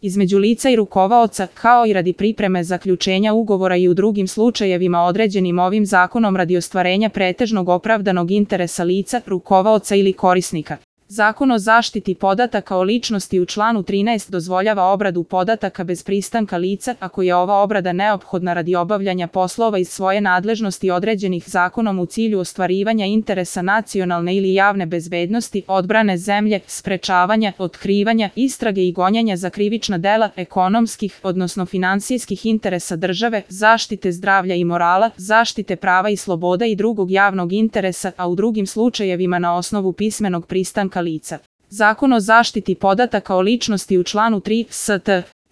između lica i rukovaoca, kao i radi pripreme zaključenja ugovora i u drugim slučajevima određenim ovim zakonom radi ostvarenja pretežnog opravdanog interesa lica, rukovaoca ili korisnika. Zakon o zaštiti podataka o ličnosti u članu 13 dozvoljava obradu podataka bez pristanka lica ako je ova obrada neophodna radi obavljanja poslova iz svoje nadležnosti određenih zakonom u cilju ostvarivanja interesa nacionalne ili javne bezbednosti, odbrane zemlje, sprečavanja, otkrivanja, istrage i gonjenja za krivična dela, ekonomskih, odnosno finansijskih interesa države, zaštite zdravlja i morala, zaštite prava i sloboda i drugog javnog interesa, a u drugim slučajevima na osnovu pismenog pristanka lica. Zakon o zaštiti podataka o ličnosti u članu 3 st.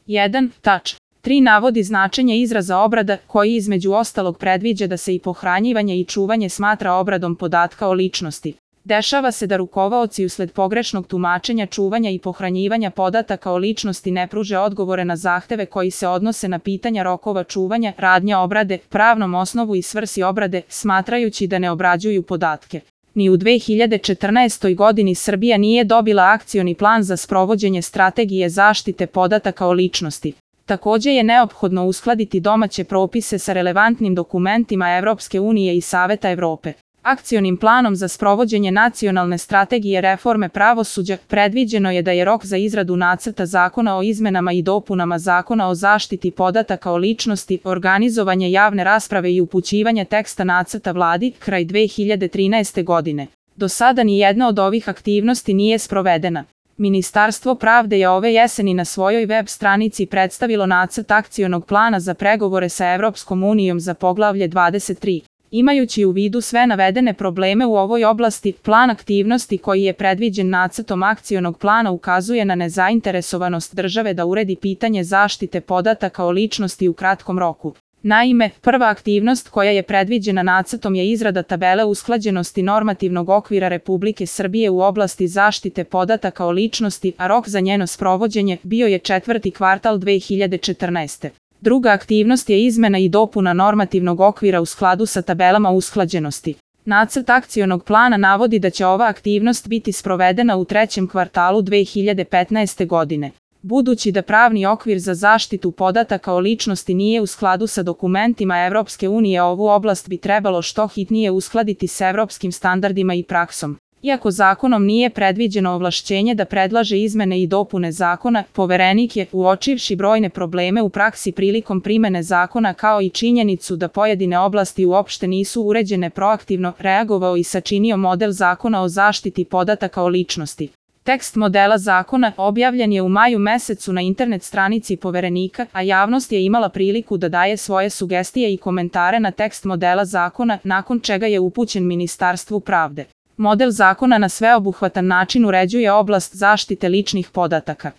1. tač. 3 navodi značenje izraza obrada, koji između ostalog predviđa da se i pohranjivanje i čuvanje smatra obradom podatka o ličnosti. Dešava se da rukovaoci usled pogrešnog tumačenja čuvanja i pohranjivanja podataka o ličnosti ne pruže odgovore na zahteve koji se odnose na pitanja rokova čuvanja, radnja obrade, pravnom osnovu i svrsi obrade, smatrajući da ne obrađuju podatke. Ni u 2014. godini Srbija nije dobila akcioni plan za sprovođenje strategije zaštite podataka o ličnosti. Takođe je neophodno uskladiti domaće propise sa relevantnim dokumentima Evropske unije i Saveta Evrope. Akcionim planom za sprovođenje nacionalne strategije reforme pravosuđa predviđeno je da je rok za izradu nacrta zakona o izmenama i dopunama Zakona o zaštiti podataka o ličnosti, organizovanje javne rasprave i upućivanje teksta nacrta Vladi kraj 2013. godine. Do sada ni jedna od ovih aktivnosti nije sprovedena. Ministarstvo pravde je ove jeseni na svojoj web stranici predstavilo nacrt akcionog plana za pregovore sa Evropskom unijom za poglavlje 23. Imajući u vidu sve navedene probleme u ovoj oblasti, plan aktivnosti koji je predviđen nacrtom akcionog plana ukazuje na nezainteresovanost države da uredi pitanje zaštite podataka o ličnosti u kratkom roku. Naime, prva aktivnost koja je predviđena nacrtom je izrada tabele usklađenosti normativnog okvira Republike Srbije u oblasti zaštite podataka o ličnosti, a rok za njeno sprovođenje bio je 4. kvartal 2014. Druga aktivnost je izmena i dopuna normativnog okvira u skladu sa tabelama usklađenosti. Nacrt akcionog plana navodi da će ova aktivnost biti sprovedena u 3. kvartalu 2015. godine. Budući da pravni okvir za zaštitu podataka o ličnosti nije u skladu sa dokumentima Evropske unije, ovu oblast bi trebalo što hitnije uskladiti s evropskim standardima i praksom. Iako zakonom nije predviđeno ovlašćenje da predlaže izmene i dopune zakona, Poverenik je, uočivši brojne probleme u praksi prilikom primene zakona kao i činjenicu da pojedine oblasti uopšte nisu uređene, proaktivno reagovao i sačinio model zakona o zaštiti podataka o ličnosti. Tekst modela zakona objavljen je u maju mesecu na internet stranici Poverenika, a javnost je imala priliku da daje svoje sugestije i komentare na tekst modela zakona, nakon čega je upućen Ministarstvu pravde. Model zakona na sveobuhvatan način uređuje oblast zaštite ličnih podataka.